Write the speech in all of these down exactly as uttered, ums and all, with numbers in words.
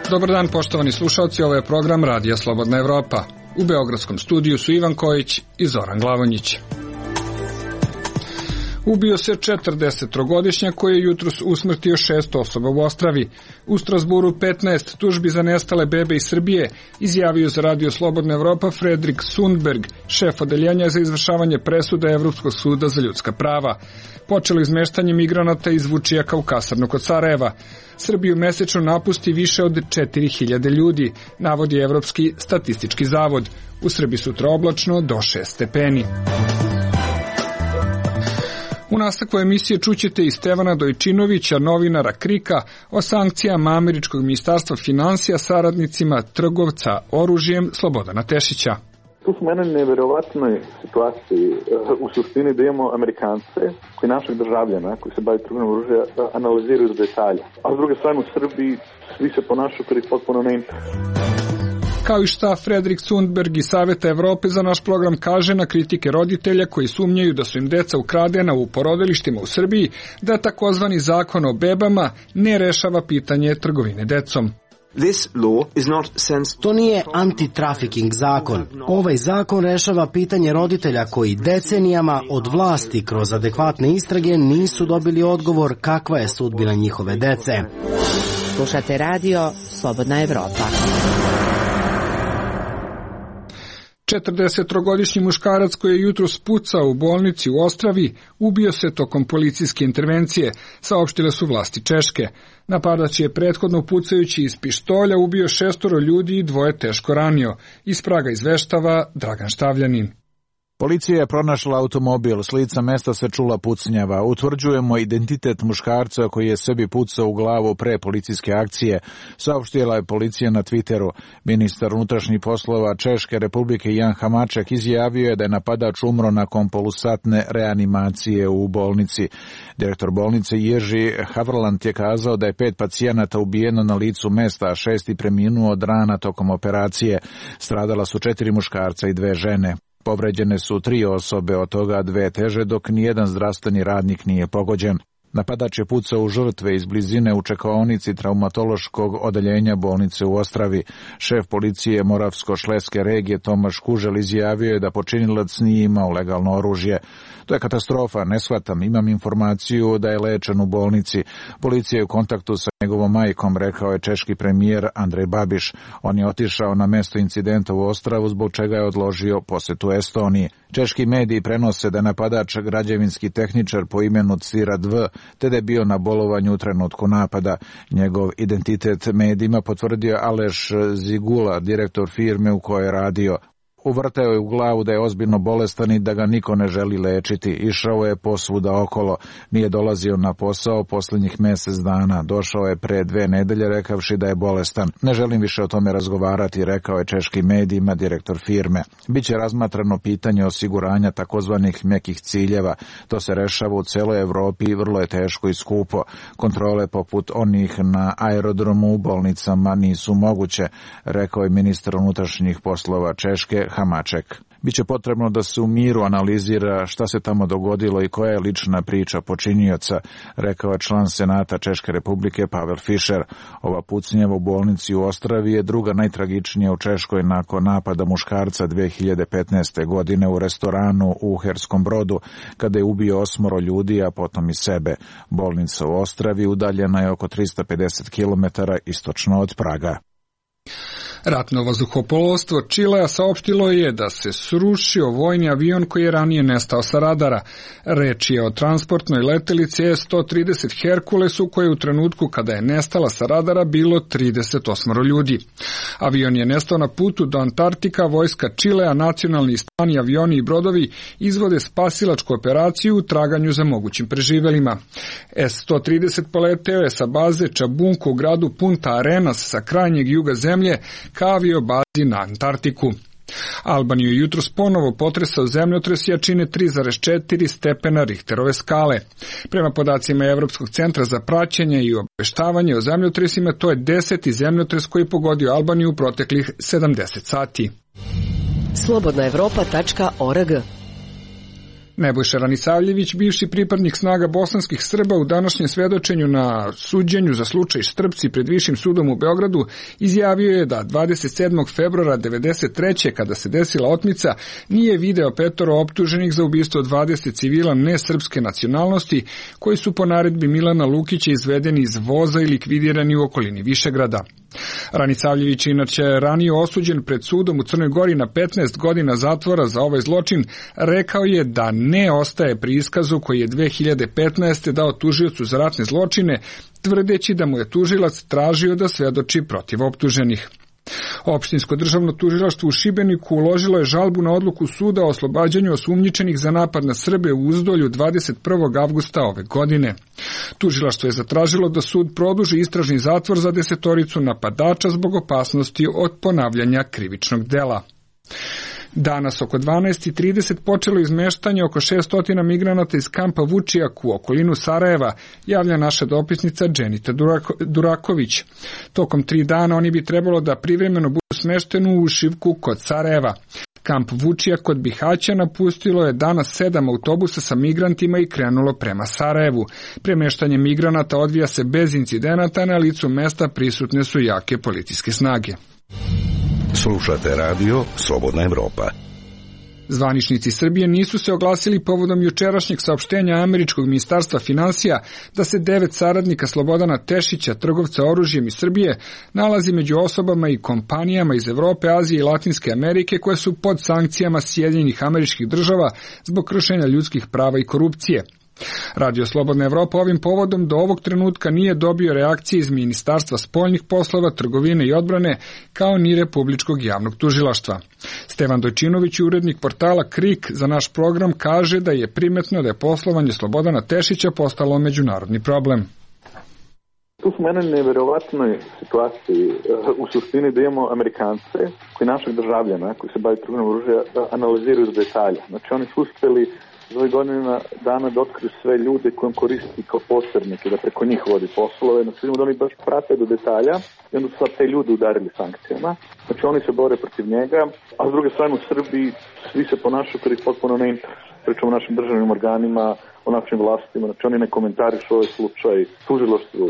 Dobar dan, poštovani slušalci, ovo je program Radija Slobodna Evropa. U beogradskom studiju su Ivan Kojić i Zoran Glavonjić. Ubio se četrdesettrogodišnjak koji je jutros usmrtio šest osoba u Ostravi. U Strasburu petnaest tužbi za nestale bebe iz Srbije, izjavio za Radio Slobodna Evropa Fredrik Sundberg, šef odeljenja za izvršavanje presuda Evropskog suda za ljudska prava. Počelo izmeštanje migranata iz Vučijaka u kasarnu kod Sarajeva. Srbiju mesečno napusti više od četiri hiljade ljudi, navodi Evropski statistički zavod. U Srbiji sutra oblačno do šest stepeni. U nastavku emisije čućete i Stevana Dojčinovića, novinara Krika, o sankcijama američkog ministarstva finansija saradnicima trgovca oružjem Slobodana Tešića. Tu smo u jednoj neverovatnoj situaciji u suštini da imamo Amerikance koji našeg državljana koji se bavi trgovinom oružja analiziraju do detalja. A s druge strane u Srbiji svi se ponašaju kao ih potpuno ne interesuje. Kao i šta Fredrik Sundberg iz Saveta Evrope za naš program kaže na kritike roditelja koji sumnjaju da su im deca ukradena u porodilištima u Srbiji, da takozvani zakon o bebama ne rešava pitanje trgovine decom. To nije anti-trafficking zakon. Ovaj zakon rešava pitanje roditelja koji decenijama od vlasti kroz adekvatne istrage nisu dobili odgovor kakva je sudbina njihove dece. Slušate radio Slobodna Evropa. četrdesettrogodišnji muškarac koji je jutros pucao u bolnici u Ostravi ubio se tokom policijske intervencije, saopštile su vlasti Češke. Napadač je prethodno pucajući iz pištolja ubio šestoro ljudi i dvoje teško ranio. Iz Praga izveštava Dragan Štavljanin. Policija je pronašla automobil, s lica mesta se čula pucnjava. Utvrđujemo identitet muškarca koji je sebi pucao u glavu pre policijske akcije, saopštila je policija na Twitteru. Ministar unutrašnjih poslova Češke Republike Jan Hamaček izjavio je da je napadač umro nakon polusatne reanimacije u bolnici. Direktor bolnice Jerzy Havrland je kazao da je pet pacijenata ubijeno na licu mesta, a šesti preminuo od rana tokom operacije. Stradala su četiri muškarca i dve žene. Povređene su tri osobe, od toga dve teže, dok nijedan zdravstveni radnik nije pogođen. Napadač je pucao u žrtve iz blizine u čekaonici traumatološkog odeljenja bolnice u Ostravi. Šef policije Moravsko-Šleske regije Tomaš Kužel izjavio je da počinilac nije imao legalno oružje. To je katastrofa, ne shvatam, imam informaciju da je lečen u bolnici. Policija je u kontaktu sa njegovom majkom, rekao je češki premijer Andrej Babiš. On je otišao na mesto incidenta u Ostravu, zbog čega je odložio posetu Estoniji. Češki mediji prenose da je napadač građevinski tehničar po imenu Cirad V, te da je bio na bolovanju u trenutku napada. Njegov identitet medijima potvrdio Aleš Zigula, direktor firme u kojoj je radio. Uvrtao je u glavu da je ozbiljno bolestan i da ga niko ne želi lečiti. Išao je posvuda okolo. Nije dolazio na posao posljednjih mjesec dana. Došao je pre dve nedelje rekavši da je bolestan. Ne želim više o tome razgovarati, rekao je češkim medijima direktor firme. Biće razmatrano pitanje osiguranja takozvanih mekih ciljeva. To se rešava u celoj Evropi i vrlo je teško i skupo. Kontrole poput onih na aerodromu u bolnicama nisu moguće, rekao je ministar unutrašnjih poslova Češke Hamaček. Biće potrebno da se u miru analizira šta se tamo dogodilo i koja je lična priča počinioca, rekao je član Senata Češke Republike Pavel Fischer. Ova pucnjava u bolnici u Ostravi je druga najtragičnija u Češkoj nakon napada muškarca dve hiljade petnaeste. godine u restoranu u Uherskom Brodu, kada je ubio osmoro ljudi, a potom i sebe. Bolnica u Ostravi udaljena je oko tristo pedeset kilometara istočno od Praga. Ratno vazduhoplovstvo Čilea saopštilo je da se srušio vojni avion koji je ranije nestao sa radara. Reč je o transportnoj letelici S sto trideset Herkulesu koje u trenutku kada je nestala sa radara bilo trideset osam ljudi. Avion je nestao na putu do Antarktika, vojska Čilea, nacionalni stani avioni i brodovi izvode spasilačku operaciju u traganju za mogućim preživelima. S sto trideset poleteo je sa baze Čabunku u gradu Punta Arenas sa krajnjeg juga zemlje ka aviobazi na Antarktiku. Albaniju je jutros ponovo potresao zemljotres jačine tri zarez četiri stepena Richterove skale. Prema podacima Evropskog centra za praćenje i obaveštavanje o zemljotresima, to je deseti zemljotres koji je pogodio Albaniju u proteklih sedamdeset sati. slobodna evropa tačka org. Nebojša Ranisavljević, bivši pripadnik snaga bosanskih Srba, u današnjem svedočenju na suđenju za slučaj Štrpci pred Višim sudom u Beogradu, izjavio je da dvadeset sedmog februara devedeset treće kada se desila otmica, nije video petoro optuženih za ubistvo dvadeset civila nesrpske nacionalnosti, koji su po naredbi Milana Lukića izvedeni iz voza i likvidirani u okolini Višegrada. Ranisavljević inače ranije osuđen pred sudom u Crnoj Gori na petnaest godina zatvora za ovaj zločin, rekao je da ne ostaje pri iskazu koji je dve hiljade petnaeste. dao tužiocu za ratne zločine, tvrdeći da mu je tužilac tražio da svedoči protiv optuženih. Opštinsko državno tužilaštvo u Šibeniku uložilo je žalbu na odluku suda o oslobađanju osumnjičenih za napad na Srbe u Uzdolju dvadeset prvog avgusta ove godine. Tužilaštvo je zatražilo da sud produži istražni zatvor za desetoricu napadača zbog opasnosti od ponavljanja krivičnog dela. Danas oko dvanaest i trideset počelo izmeštanje oko šesto migranata iz kampa Vučijak u okolinu Sarajeva, javlja naša dopisnica Dženita Durako, Duraković. Tokom tri dana oni bi trebalo da privremeno budu smešteni u Šivku kod Sarajeva. Kamp Vučijak kod Bihaća napustilo je danas sedam autobusa sa migrantima i krenulo prema Sarajevu. Premeštanje migranata odvija se bez incidenata, na licu mesta prisutne su jake policijske snage. Slušate radio Slobodna Evropa. Zvaničnici Srbije nisu se oglasili povodom jučerašnjeg saopštenja američkog ministarstva finansija da se devet saradnika Slobodana Tešića, trgovca oružjem iz Srbije, nalazi među osobama i kompanijama iz Evrope, Azije i Latinske Amerike koje su pod sankcijama Sjedinjenih Američkih Država zbog kršenja ljudskih prava i korupcije. Radio Slobodna Evropa ovim povodom do ovog trenutka nije dobio reakcije iz Ministarstva spoljnih poslova, trgovine i odbrane, kao ni Republičkog javnog tužilaštva. Stevan Dojčinović, urednik portala Krik za naš program, kaže da je primetno da je poslovanje Slobodana Tešića postalo međunarodni problem. Tu smo mene neverovatnoj situaciji u suštini da imamo Amerikance koji našeg državljana koji se bavi trgovinom oružja analiziraju do detalja. Znači oni su uspeli za ovih godina dana da otkriju sve ljude kojim koristi kao posrednike, da preko njih vodi poslove. Znači vidimo da oni baš prate do detalja i onda su sad te ljude udarili sankcijama. Znači oni se bore protiv njega, a s druge strane u Srbiji svi se ponašaju koji potpuno ne interesuju. Pričamo o našim državnim organima, o našim vlastima, znači oni ne komentarišu ovaj slučaj, tužilaštvo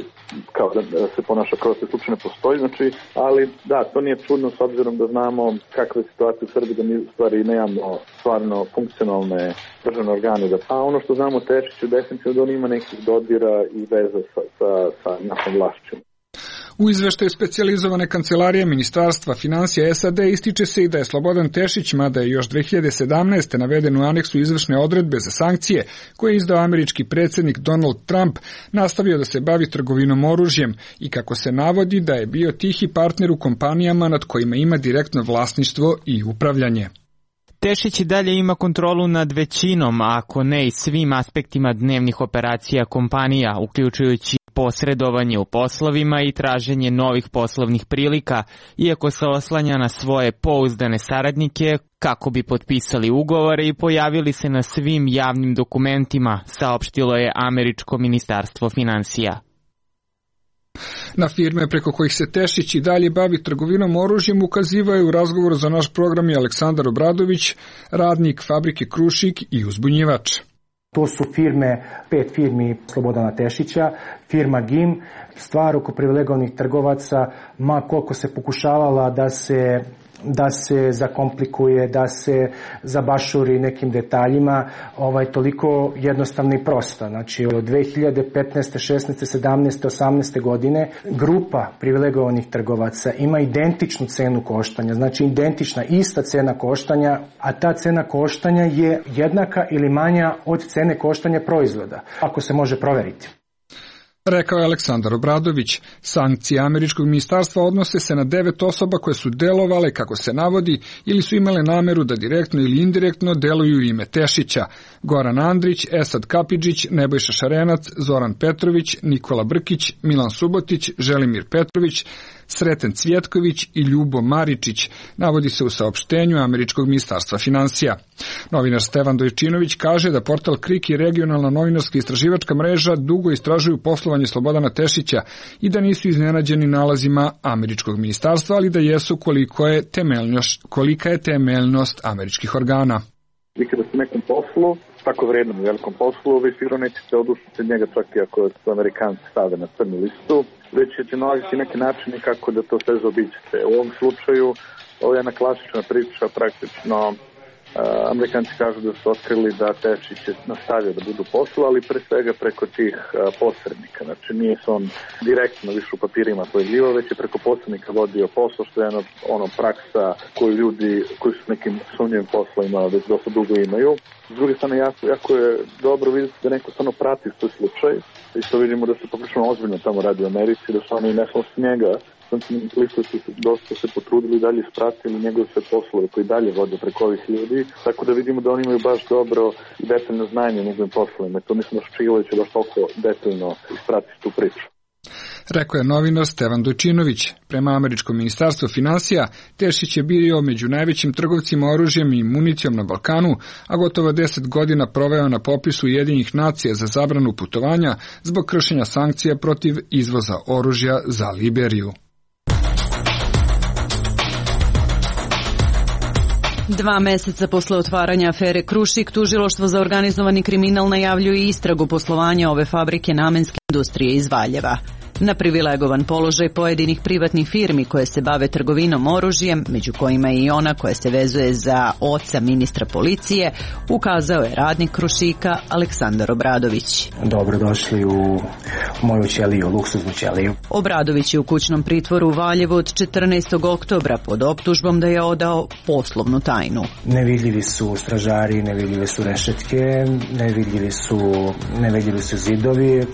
kao da, da se ponaša kao da se slučaj ne postoji, znači, ali da, to nije čudno s obzirom da znamo kakva je situacija u Srbiji, da mi u stvari nemamo stvarno funkcionalne državne organe. Da, a ono što znamo o Tešiću, definitivno da on ima nekih dodira i veza sa, sa, sa našom vlašćom. U izveštaju specijalizovane kancelarije Ministarstva finansija S A D ističe se i da je Slobodan Tešić, mada je još dve hiljade sedamnaeste. naveden u aneksu izvršne odredbe za sankcije koje je izdao američki predsjednik Donald Trump, nastavio da se bavi trgovinom oružjem i kako se navodi da je bio tihi partner u kompanijama nad kojima ima direktno vlasništvo i upravljanje. Tešić i dalje ima kontrolu nad većinom, ako ne i svim aspektima dnevnih operacija kompanija, uključujući posredovanje u poslovima i traženje novih poslovnih prilika, iako se oslanja na svoje pouzdane saradnike kako bi potpisali ugovore i pojavili se na svim javnim dokumentima, saopštilo je američko ministarstvo finansija. Na firme preko kojih se Tešić i dalje bavi trgovinom oružjem ukazivao je u razgovoru za naš program i Aleksandar Obradović, radnik fabrike Krušik i uzbunjivač. To su firme, pet firmi Slobodana Tešića, firma G I M, stvar oko privilegovanih trgovaca, ma koliko se pokušavala da se da se zakomplikuje, da se zabašuri nekim detaljima, ovaj, toliko jednostavno i prosta. Znači, od dve hiljade petnaeste, šesnaeste, sedamnaeste, osamnaeste godine grupa privilegovanih trgovaca ima identičnu cenu koštanja, znači identična, ista cena koštanja, a ta cena koštanja je jednaka ili manja od cene koštanja proizvoda, ako se može proveriti. Rekao je Aleksandar Obradović. Sankcije američkog ministarstva odnose se na devet osoba koje su delovale, kako se navodi, ili su imale nameru da direktno ili indirektno deluju u ime Tešića. Goran Andrić, Esad Kapidžić, Nebojša Šarenac, Zoran Petrović, Nikola Brkić, Milan Subotić, Želimir Petrović, Sreten Cvjetković i Ljubo Maričić, navodi se u saopštenju američkog ministarstva finansija. Novinar Stevan Dojčinović kaže da portal Krik i regionalna novinarska istraživačka mreža dugo istražuju poslovanje Slobodana Tešića i da nisu iznenađeni nalazima američkog ministarstva, ali da jesu koliko je temeljnost, kolika je temeljnost američkih organa. Vi kada ste nekom poslu, tako vrednom i velikom poslu, vi sigurno nećete odušiti od njega čak i ako su Amerikanci stave na crnu listu, već ćete nalaziti neki načini kako da to sve zaobiđete. U ovom slučaju, ovo je jedna klasična priča, praktično Uh, Amerikanci kažu da su otkrili da Tešić je nastavio da budu poslu, ali pre svega preko tih uh, posrednika. Znači nije se on direktno više u papirima pojavljivao, već je preko posrednika vodio posao, što je ono, ono praksa koju ljudi koji su nekim sumnjivim poslovima već dosta dugo imaju. S druge strane, jako, jako je dobro vidjeti da neko stvarno prati svoj slučaj i što vidimo da se poprilično ozbiljno tamo radi u Americi, da su oni ne samo s njega, listu su dosta se potrudili i dalje ispratili njegove sve poslove koji dalje vode preko ovih ljudi, tako da vidimo da oni imaju baš dobro i detaljno znanje o njegovim poslovima. To mislim da Ščilović će baš toliko detaljno ispratiti tu priču. Rekao je novinar Stevan Dojčinović. Prema američkom ministarstvu finansija, Tešić je bio među najvećim trgovcima oružjem i municijom na Balkanu, a gotovo deset godina proveo na popisu Ujedinjenih nacija za zabranu putovanja zbog kršenja sankcija protiv izvoza oružja za Liberiju. Dva meseca posle otvaranja afere Krušik, tužilaštvo za organizovani kriminal najavljuje istragu poslovanja ove fabrike namenske industrije iz Valjeva. Na privilegovan položaj pojedinih privatnih firmi koje se bave trgovinom oružjem, među kojima je i ona koja se vezuje za oca ministra policije, ukazao je radnik Krušika Aleksandar Obradović. Dobrodošli u moju ćeliju, luksuznu ćeliju. Obradović je u kućnom pritvoru u Valjevu od četrnaestog oktobra pod optužbom da je odao poslovnu tajnu. Nevidljivi su stražari, nevidljive su rešetke, nevidljivi su, nevidljivi su zidovi,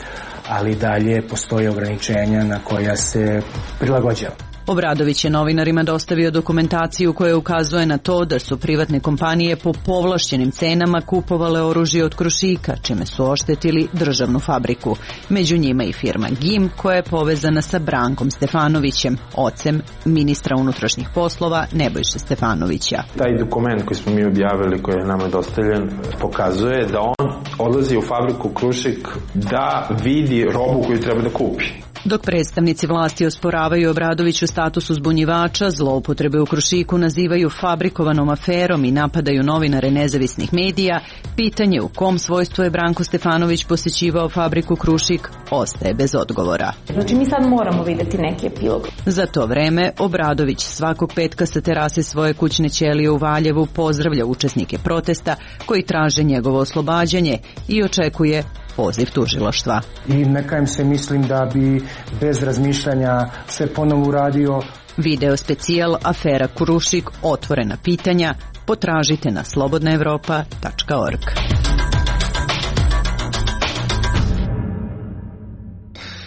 ali dalje postoje ograničenja na koja se prilagođava. Obradović je novinarima dostavio dokumentaciju koja ukazuje na to da su privatne kompanije po povlašćenim cenama kupovale oružje od Krušika, čime su oštetili državnu fabriku. Među njima i firma Gim, koja je povezana sa Brankom Stefanovićem, ocem ministra unutrašnjih poslova Nebojše Stefanovića. Taj dokument koji smo mi objavili, koji je nama dostavljen, pokazuje da on odlazi u fabriku Krušik da vidi robu koju treba da kupi. Dok predstavnici vlasti osporavaju Obradoviću status uzbunjivača, zloupotrebe u Krušiku nazivaju fabrikovanom aferom i napadaju novinare nezavisnih medija, pitanje u kom svojstvu je Branko Stefanović posećivao fabriku Krušik ostaje bez odgovora. Znači mi sad moramo vidjeti neki epilog. Za to vreme Obradović svakog petka sa terase svoje kućne ćelije u Valjevu pozdravlja učesnike protesta koji traže njegovo oslobađanje i očekuje poziv tužilaštva. I neka im se mislim da bi bez razmišljanja sve ponovo uradio. Video specijal Afera Krušik, otvorena pitanja, potražite na slobodna evropa tačka org.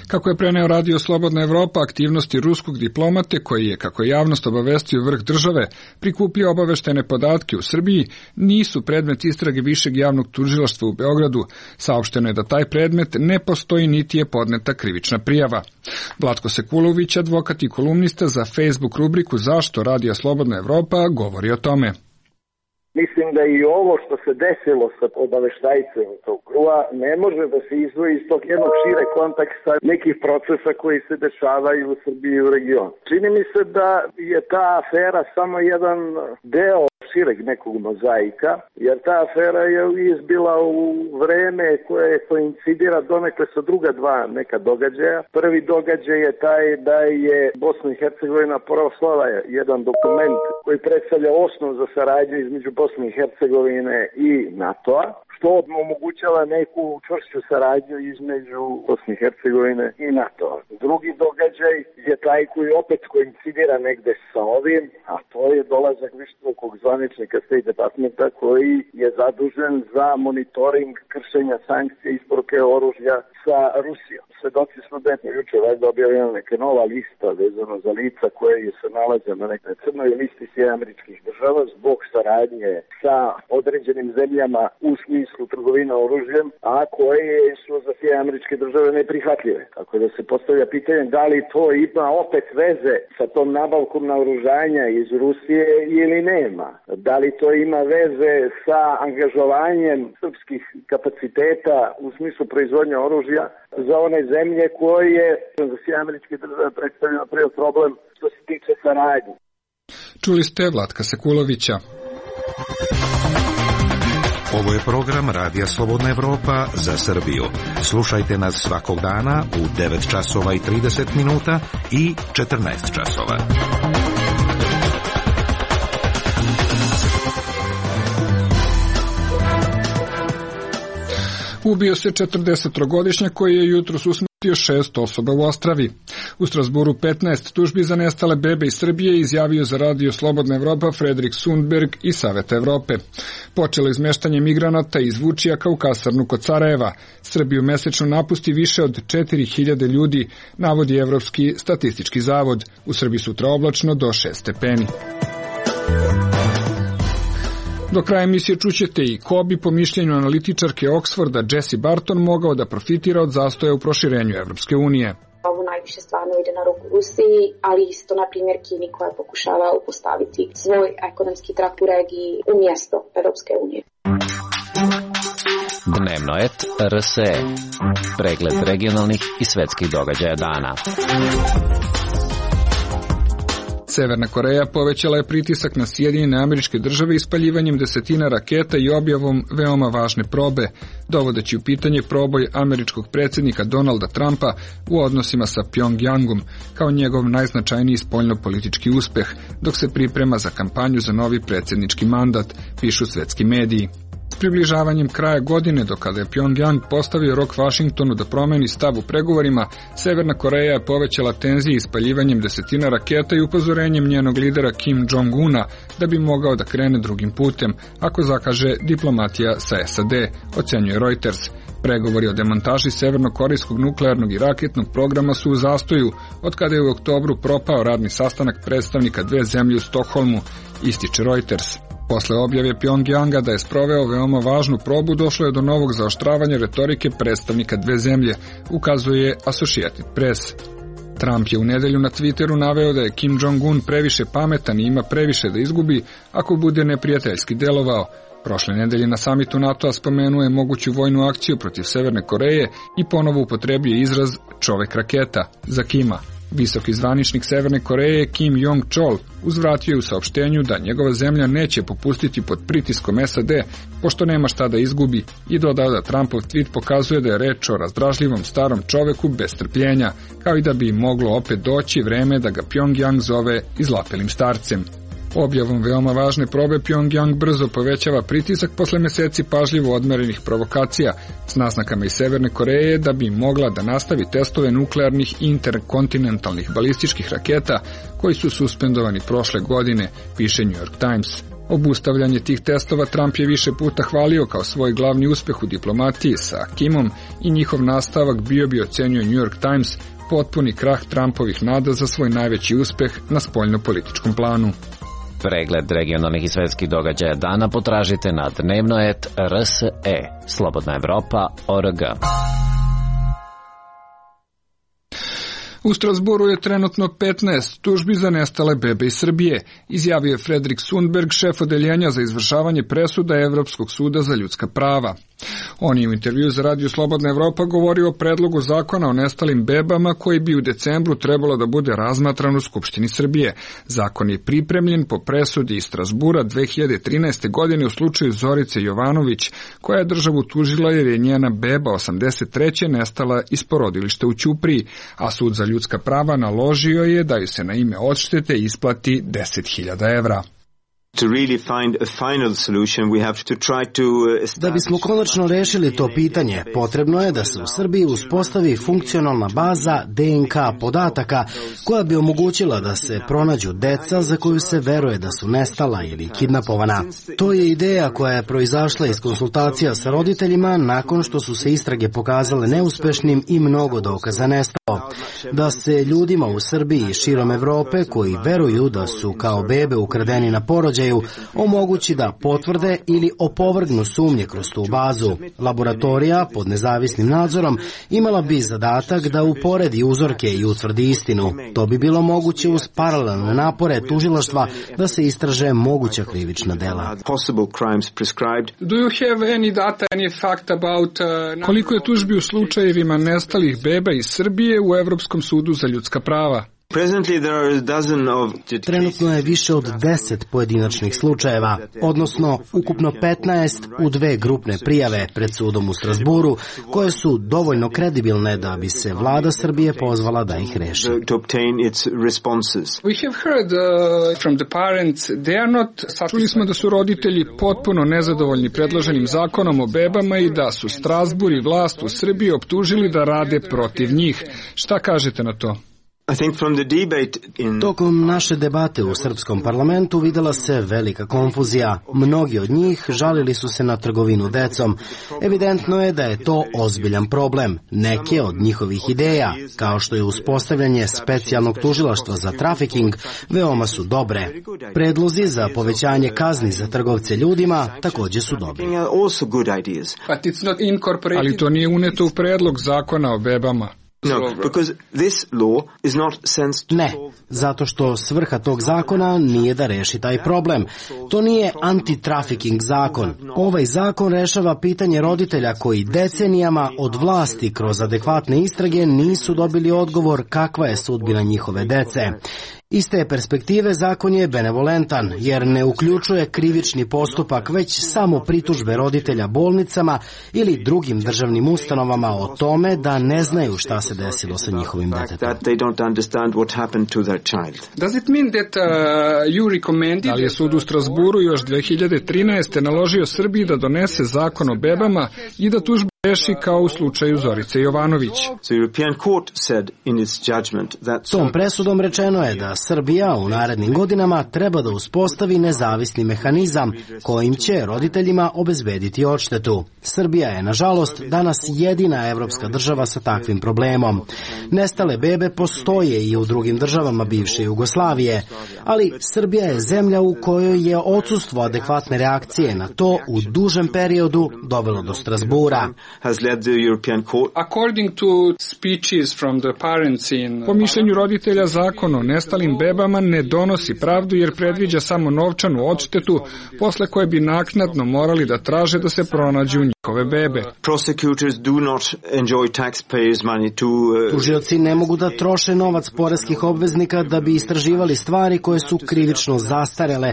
Kako je preneo radio Slobodna Evropa, aktivnosti ruskog diplomate, koji je, kako je javnost obavestio vrh države, prikupio obaveštene podatke u Srbiji, nisu predmet istrage Višeg javnog tužilaštva u Beogradu. Saopšteno je da taj predmet ne postoji niti je podneta krivična prijava. Vlatko Sekulović, advokat i kolumnista za Facebook rubriku Zašto radija Slobodna Evropa, govori o tome. Mislim da i ovo što se desilo sa obaveštajcem tog krua ne može da se izdvoji iz tog jednog šire konteksta nekih procesa koji se dešavaju u Srbiji i u regionu. Čini mi se da je ta afera samo jedan deo šireg nekog mozaika, jer ta afera je izbila u vreme koje koincidira donekle sa druga dva neka događaja. Prvi događaj je taj da je Bosna i Hercegovina proslala jedan dokument koji predstavlja osnov za saradnju između Bosne i Hercegovine i NATO-a, što omogućava neku čvršću saradnju između Bosne i Hercegovine i NATO-a. Drugi događaj je taj koji opet koincidira negde sa ovim, a to je dolazak visokog zvaničnika State Departmenta koji je zadužen za monitoring kršenja sankcija i isporuke oružja sa Rusijom. Svedoci smo da je juče valjda objavljena neka nova lista vezano za lica koje se nalaze na nekoj crnoj listi Sjedinjenih Američkih Država zbog saradnje sa određenim zemljama u smislu industrijsku trgovinu oružjem, a koje su za Sjedinjene Američke Države neprihvatljive. Tako da se postavlja pitanje da li to ima opet veze sa tom nabavkom naoružanja iz Rusije ili nema. Da li to ima veze sa angažovanjem srpskih kapaciteta u smislu proizvodnje oružja za one zemlje koje za Sjedinjene Američke Države predstavljaju prvi problem što se tiče saradnje. Čuli ste Vlatka Sekulovića. Ovo je program Radija Slobodna Evropa za Srbiju. Slušajte nas svakog dana u devet časova i trideset minuta i četrnaest časova. Ubio se četrdesettrogodišnjak koji je jutros usmrtio šest osoba u Ostravi. U Strasburu petnaest tužbi za nestale bebe iz Srbije izjavio za Radio Slobodna Evropa Fredrik Sundberg i Saveta Evrope. Počelo izmeštanje migranata iz Vučijaka u kasarnu kod Sarajeva. Srbiju mesečno napusti više od četiri hiljade ljudi, navodi Evropski statistički zavod. U Srbiji sutra oblačno do šest stepeni. Do kraja emisije čućete i ko bi po mišljenju analitičarke Oxforda Jessie Barton mogao da profitira od zastoja u proširenju Evropske unije. Ovo najviše stvarno ide na ruku Rusiji, ali isto, na primjer, Kini koja pokušava upostaviti svoj ekonomski trak u regiji umjesto Evropske unije. Dnevno et R S E. Pregled regionalnih i svetskih događaja dana. Severna Koreja povećala je pritisak na Sjedinjene Američke Države ispaljivanjem desetina raketa i objavom veoma važne probe, dovodeći u pitanje proboj američkog predsjednika Donalda Trumpa u odnosima sa Pjongjangom, kao njegov najznačajniji spoljnopolitički uspeh, dok se priprema za kampanju za novi predsjednički mandat, pišu svetski mediji. S približavanjem kraja godine, do kada je Pjongjang postavio rok Vašingtonu da promeni stav u pregovorima, Severna Koreja je povećala tenzije ispaljivanjem desetina raketa i upozorenjem njenog lidera Kim Jong-una da bi mogao da krene drugim putem, ako zakaže diplomatija sa S A D, ocenjuje Reuters. Pregovori o demontaži severnokorejskog nuklearnog i raketnog programa su u zastoju, od kada je u oktobru propao radni sastanak predstavnika dve zemlje u Stokholmu, ističe Reuters. Posle objave Pjongjanga da je sproveo veoma važnu probu, došlo je do novog zaoštravanja retorike predstavnika dve zemlje, ukazuje Associated Press. Trump je u nedelju na Twitteru naveo da je Kim Jong-un previše pametan i ima previše da izgubi ako bude neprijateljski delovao. Prošle nedelje na samitu NATO-a spomenuo je moguću vojnu akciju protiv Severne Koreje i ponovo upotrebio izraz čovek raketa za Kima. Visoki zvaničnik Severne Koreje Kim Jong-chol uzvratio je u saopštenju da njegova zemlja neće popustiti pod pritiskom S A D, pošto nema šta da izgubi, i dodao da Trumpov tweet pokazuje da je reč o razdražljivom starom čoveku bez strpljenja, kao i da bi moglo opet doći vreme da ga Pjongjang zove izlapelim starcem. Objavom veoma važne probe Pjongjang brzo povećava pritisak posle meseci pažljivo odmerenih provokacija s naznakama iz Severne Koreje da bi mogla da nastavi testove nuklearnih interkontinentalnih balističkih raketa koji su suspendovani prošle godine, piše New York Times. Obustavljanje tih testova Trump je više puta hvalio kao svoj glavni uspeh u diplomatiji sa Kimom i njihov nastavak bio bi, ocenjuje New York Times, potpuni krah Trumpovih nada za svoj najveći uspeh na spoljnopolitičkom planu. Pregled regionalnih i svetskih događaja dana potražite na dnevno et R S E. Slobodna Evropa O R G. U Strasburu je trenutno petnaest tužbi za nestale bebe iz Srbije, izjavio je Fredrik Sundberg, šef odeljenja za izvršavanje presuda Evropskog suda za ljudska prava. On je u intervju za Radio Slobodna Evropa govorio o predlogu zakona o nestalim bebama koji bi u decembru trebalo da bude razmatran u Skupštini Srbije. Zakon je pripremljen po presudi iz Strasbura dve hiljade trinaeste. godine u slučaju Zorice Jovanović, koja je državu tužila jer je njena beba osamdeset treće nestala iz porodilišta u Ćupriji, a sud za ljudska prava naložio je da ju se na ime odštete isplati deset hiljada evra. Da bismo konačno rešili to pitanje, potrebno je da se u Srbiji uspostavi funkcionalna baza D N K podataka koja bi omogućila da se pronađu deca za koju se veruje da su nestala ili kidnapovana. To je ideja koja je proizašla iz konsultacija sa roditeljima nakon što su se istrage pokazale neuspešnim i mnogo dokaza nestalo. Da se ljudima u Srbiji i širom Evrope koji veruju da su kao bebe ukradeni na porođaj uređaju omogući da potvrde ili opovrgnu sumnje kroz tu bazu. Laboratorija pod nezavisnim nadzorom imala bi zadatak da uporedi uzorke i utvrdi istinu. To bi bilo moguće uz paralelne napore tužilaštva da se istraže moguća krivična dela. Do you have any data, any fact about, uh, koliko je tužbi u slučajevima nestalih beba iz Srbije u Evropskom sudu za ljudska prava? Trenutno je više od deset pojedinačnih slučajeva, odnosno ukupno petnaest u dve grupne prijave pred sudom u Strasburu, koje su dovoljno kredibilne da bi se vlada Srbije pozvala da ih reši. Čuli smo da su roditelji potpuno nezadovoljni predloženim zakonom o bebama i da su Strasbur i vlast u Srbiji optužili da rade protiv njih. Šta kažete na to? Tokom naše debate u srpskom parlamentu videla se velika konfuzija. Mnogi od njih žalili su se na trgovinu decom. Evidentno je da je to ozbiljan problem. Neke od njihovih ideja, kao što je uspostavljanje specijalnog tužilaštva za trafiking, veoma su dobre. Predlozi za povećanje kazni za trgovce ljudima takođe su dobri. Ali to nije uneto u predlog zakona o bebama. Ne, zato što svrha tog zakona nije da reši taj problem. To nije anti-trafficking zakon. Ovaj zakon rešava pitanje roditelja koji decenijama od vlasti kroz adekvatne istrage nisu dobili odgovor kakva je sudbina njihove dece. Iz te perspektive zakon je benevolentan, jer ne uključuje krivični postupak, već samo pritužbe roditelja bolnicama ili drugim državnim ustanovama o tome da ne znaju šta se desilo sa njihovim detetom. Da li je sud u Strasburu još dve hiljade trinaeste. naložio Srbiji da donese zakon o bebama i da tužbe reši kao u slučaju Zorice Jovanović? Tom presudom rečeno je da Srbija u narednim godinama treba da uspostavi nezavisni mehanizam kojim će roditeljima obezbediti odštetu. Srbija je, nažalost, danas jedina evropska država sa takvim problemom. Nestale bebe postoje i u drugim državama bivše Jugoslavije, ali Srbija je zemlja u kojoj je odsustvo adekvatne reakcije na to u dužem periodu dovelo do Strasbura. Po mišljenju roditelja, zakon o nestalim bebama ne donosi pravdu jer predviđa samo novčanu odštetu, posle koje bi naknadno morali da traže da se pronađu njihove bebe. Tužioci ne mogu da troše novac poreskih obveznika da bi istraživali stvari koje su krivično zastarele,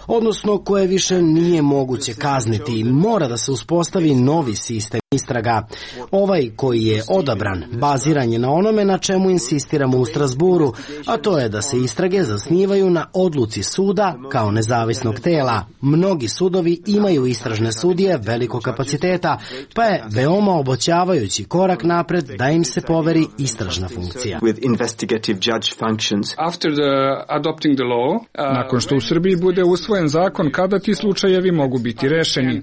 odnosno koje više nije moguće kazniti. Mora da se uspostavi novi sistem istraga. Ovaj koji je odabran baziran je na onome na čemu insistiramo u Strasburu, a to je da se istrage zasnivaju na odluci suda kao nezavisnog tela. Mnogi sudovi imaju istražne sudije velikog kapaciteta, pa je veoma obećavajući korak napred da im se poveri istražna funkcija. Nakon što u Srbiji bude usvojen zakon, kada ti slučajevi mogu biti rešeni?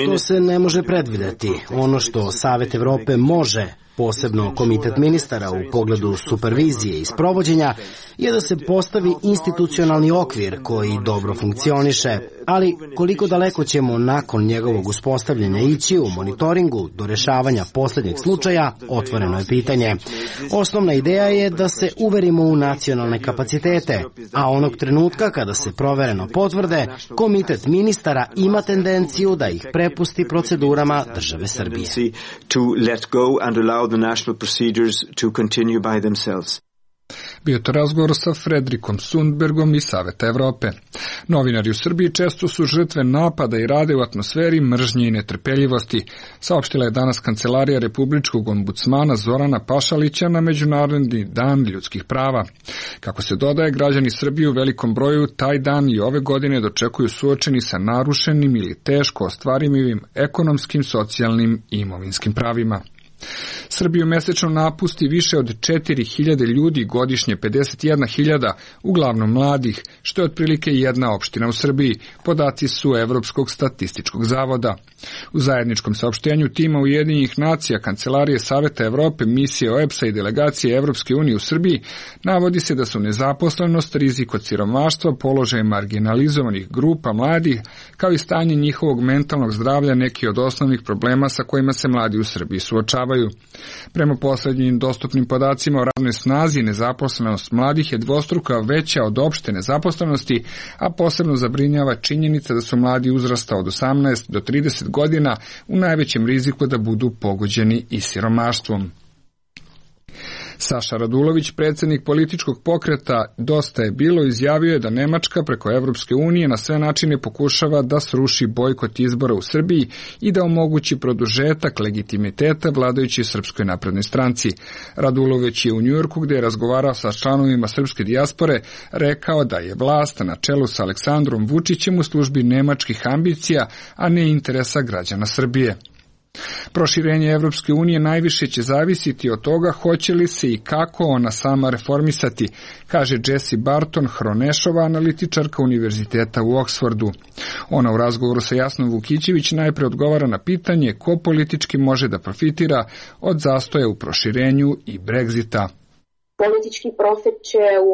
To se ne može predvideti. Ono što Savet Evrope može, posebno Komitet ministara u pogledu supervizije i sprovođenja, je da se postavi institucionalni okvir koji dobro funkcioniše, ali koliko daleko ćemo nakon njegovog uspostavljanja ići u monitoringu do rešavanja poslednjeg slučaja, otvoreno je pitanje. Osnovna ideja je da se uverimo u nacionalne kapacitete, a onog trenutka kada se provereno potvrde, Komitet ministara ima tendenciju da ih prepusti procedurama države Srbije. The national procedures to continue by themselves. Bio to razgovor sa Fredrikom Sundbergom iz Saveta Evrope. Novinari u Srbiji često su žrtve napada i rade u atmosferi mržnje i netrpeljivosti, saopštila je danas Kancelarija Republičkog ombudsmana Zorana Pašalića na Međunarodni dan ljudskih prava. Kako se dodaje, građani Srbije u velikom broju taj dan i ove godine dočekuju suočeni sa narušenim ili teško ostvarivim ekonomskim, socijalnim i imovinskim pravima. Srbiju mesečno napusti više od četiri hiljade ljudi, godišnje pedeset jedna hiljada, uglavnom mladih, što je otprilike jedna opština u Srbiji, podaci su Evropskog statističkog zavoda. U zajedničkom saopštenju tima Ujedinjenih nacija, Kancelarije Saveta Evrope, misije O E B S-a i delegacije Evropske unije u Srbiji navodi se da su nezaposlenost, rizik od siromaštva, položaj marginalizovanih grupa mladih, kao i stanje njihovog mentalnog zdravlja neki od osnovnih problema sa kojima se mladi u Srbiji suočavaju. Prema poslednjim dostupnim podacima o radnoj snazi, nezaposlenost mladih je dvostruko veća od opšte nezaposlenosti, a posebno zabrinjava činjenica da su mladi uzrasta od osamnaest do trideset godina u najvećem riziku da budu pogođeni i siromaštvom. Saša Radulović, predsjednik političkog pokreta Dosta je bilo, izjavio je da Nemačka preko Evropske unije na sve načine pokušava da sruši bojkot izbora u Srbiji i da omogući produžetak legitimiteta vladajućoj Srpskoj naprednoj stranci. Radulović je u Njujorku, gdje je razgovarao sa članovima srpske dijaspore, rekao da je vlast na čelu sa Aleksandrom Vučićem u službi nemačkih ambicija, a ne interesa građana Srbije. Proširenje Evropske unije najviše će zavisiti od toga hoće li se i kako ona sama reformisati, kaže Jessie Barton, Hronešova, analitičarka Univerziteta u Oksfordu. Ona u razgovoru sa Jasnom Vukićević najpre odgovara na pitanje ko politički može da profitira od zastoja u proširenju i Brexita. Politički profit će u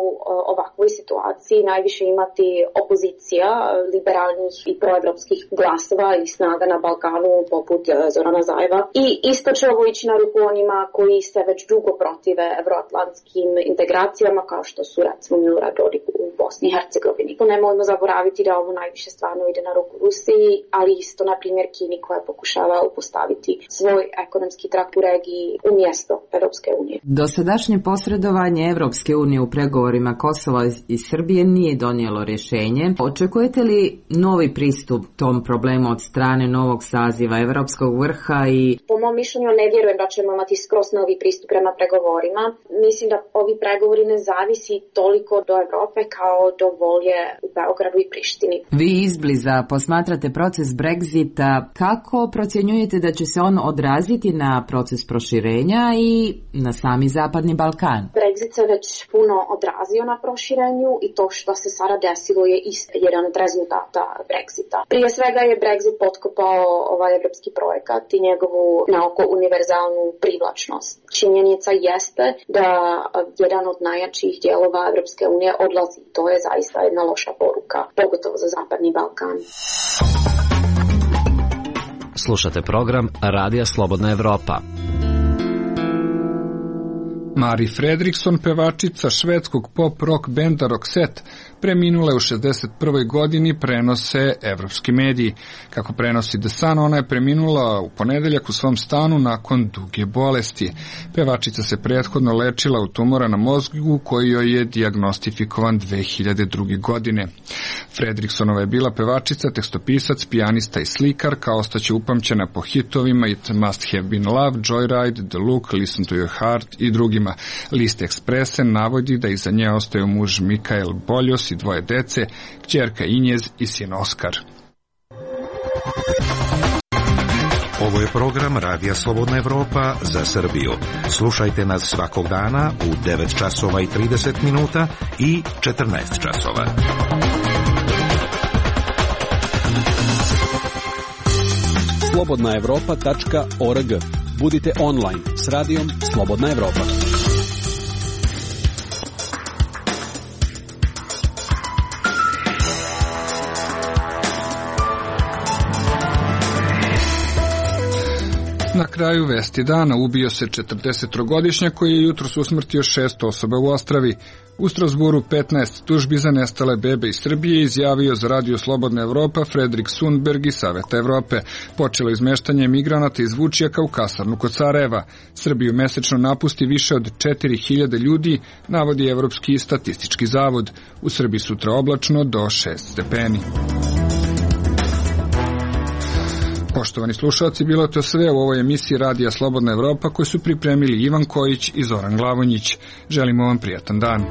ovakvoj situaciji najviše imati opozicija liberalnih i proevropskih glasova i snaga na Balkanu poput Zorana Zajeva i isto će ovo ići na ruku onima koji se već dugo protive evroatlantskim integracijama kao što su recimo Milorad Dodik u Bosni i Hercegovini. Nemojmo zaboraviti da ovo najviše stvarno ide na ruku Rusiji, ali isto na primjer Kini koja pokušava upostaviti svoj ekonomski trak u regiji umjesto Evropske unije. Dosadašnje posredovanje Evropske unije u pregovorima Kosova i Srbije nije donijelo rješenje. Očekujete li novi pristup tom problemu od strane novog saziva Evropskog vrha? I po mom mišljenju ne vjerujem da ćemo imati skroz novi pristup prema pregovorima. Mislim da ovi pregovori ne zavisi toliko do Evrope kao do volje u Beogradu i Prištini. Vi izbliza posmatrate proces Brexita. Kako procjenjujete da će se on odraziti na proces proširenja i na sami Zapadni Balkan? Brexit se već puno odrazio na proširenju i to što se sada desilo je isto jedan od rezultata Brexita. Prije svega je Brexit potkopao ovaj evropski projekat i njegovu naoko univerzalnu privlačnost. Činjenica jeste da jedan od najjačih dijelova Evropske unije odlazi. To je zaista jedna loša poruka, pogotovo za Zapadni Balkan. Slušate program Radija Slobodna Evropa. Mari Fredriksson, pevačica švedskog pop-rock benda Roxette, preminula je u šezdeset prvoj godini, prenose evropski mediji. Kako prenosi The Sun, ona je preminula u ponedeljak u svom stanu nakon duge bolesti. Pevačica se prethodno lečila od tumora na mozgu koji joj je dijagnostifikovan dve hiljade druge. godine. Fredrikssonova je bila pevačica, tekstopisac, pijanista i slikarka, ostaće upamćena po hitovima It Must Have Been Love, Joyride, The Look, Listen to Your Heart i drugima. List Expressen navodi da iza nje ostaju muž Mikael Boljos i dvoje dece, kćerka Injez i sin Oskar. Ovo je program Radija Slobodna Evropa za Srbiju. Slušajte nas svakog dana u devet časova i trideset minuta i četrnaest časova. slobodna evropa tačka org. Budite online s radijom Slobodna Evropa. Na kraju vesti dana ubio se četrdesettrogodišnjak koji je jutros usmrtio šest osoba u Ostravi. U Strasburu petnaest tužbi za nestale bebe iz Srbije izjavio za Radio Slobodna Evropa Fredrik Sundberg iz Saveta Evrope. Počelo izmeštanje migranata iz Vučjaka u kasarnu kod Sarajeva. Srbiju mesečno napusti više od četiri hiljade ljudi, navodi Evropski statistički zavod. U Srbiji sutra oblačno do šest stepeni. Poštovani slušalci, bilo to sve u ovoj emisiji Radija Slobodna Evropa koju su pripremili Ivan Kojić i Zoran Glavonjić. Želimo vam prijatan dan.